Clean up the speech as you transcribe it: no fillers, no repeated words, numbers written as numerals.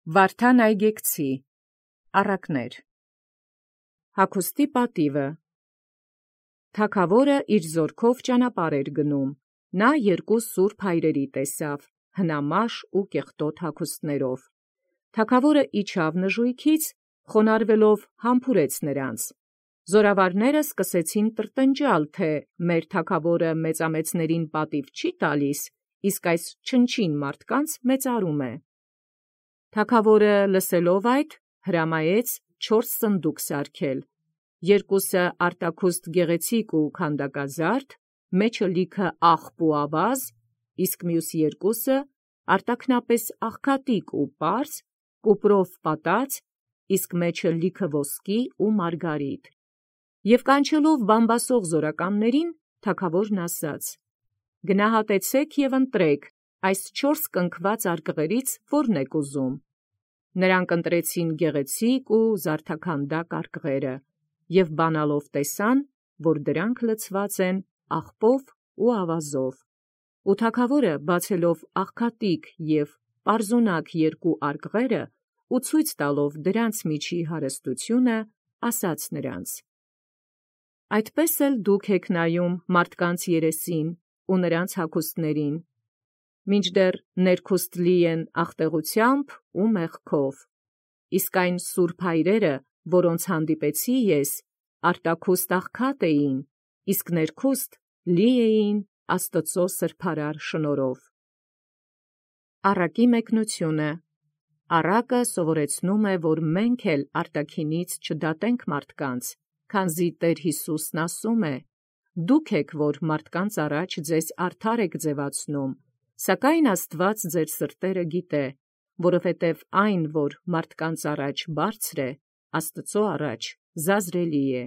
Վարդան այգեկցի առակներ Հագուստի պատիվը Թագաւորը իր զորքով ճանապարհ էր գնում. նա երկու սուրբ հայրերի տեսավ, հնամաշ ու կեղտոտ հագուստներով. թագաւորը իջավ նժույգից, խոնարհվելով համբուրեց նրանց. զորավարները սկսեցին տրտնջալ, թե մեր թագաւորը մեծամեծներին պատիւ չի տալիս, իսկ այս չնչին մարդկանց մեծարում է. Թագաւորը լսելով այդ, հրամայեց 4 սնդուկ սարքել, երկուսը արտաքուստ գեղեցիկ ու քանդակազարդ, մեջը լիքը աղբ ու ավազ, իսկ մյուս երկուսը արտաքնապես աղքատիկ ու պարզ, կուպրով պատած, իսկ մեջը լիքը ոսկի ու մարգարիտ. Եւ կանչելով բամբասող զորականներին, թագաւորն ասաց. «Գնահատեցէք եւ ընտրեք այս 4 կնքված արկղերից որն եք ուզում»։ Նրանք ընտրեցին գեղեցիկ ու զարդաքանդակ արկղերը, եւ բանալով տեսան, որ դրանք լցված են աղբով ու ավազով. ու թագաւորը բացելով աղքատիկ եւ պարզունակ երկու արկղերը ու ցույց տալով դրանց միջի հարստությունը, ասաց նրանց. «Այդպես էլ դուք եք նայում մարդկանց երեսին ու նրանց հագուստներին, մինչդեռ ներքուստ լի են աղտեղութեամբ ու մեղքով, իսկ այն սուրբ հայրերը, որոնց հանդիպեցի ես, արտաքուստ աղքատ էին, իսկ ներքուստ լի էին Աստուծոյ սրբարար շնորհով»։ Առակի մեկնությունը Առակը սովորեցնում է, որ մենք էլ արտաքինից չդատենք մարդկանց, քանզի Տէր Յիսուսն ասում է. «Դուք եք, որ մարդկանց առաջ ձեզ արդար եք ձևացնում, սակայն Աստուած ձեր սրտերը գիտե, որովհետև այն, որ մարդկանց առաջ բարձր է, Աստուծոյ առաջ զազրելի է»։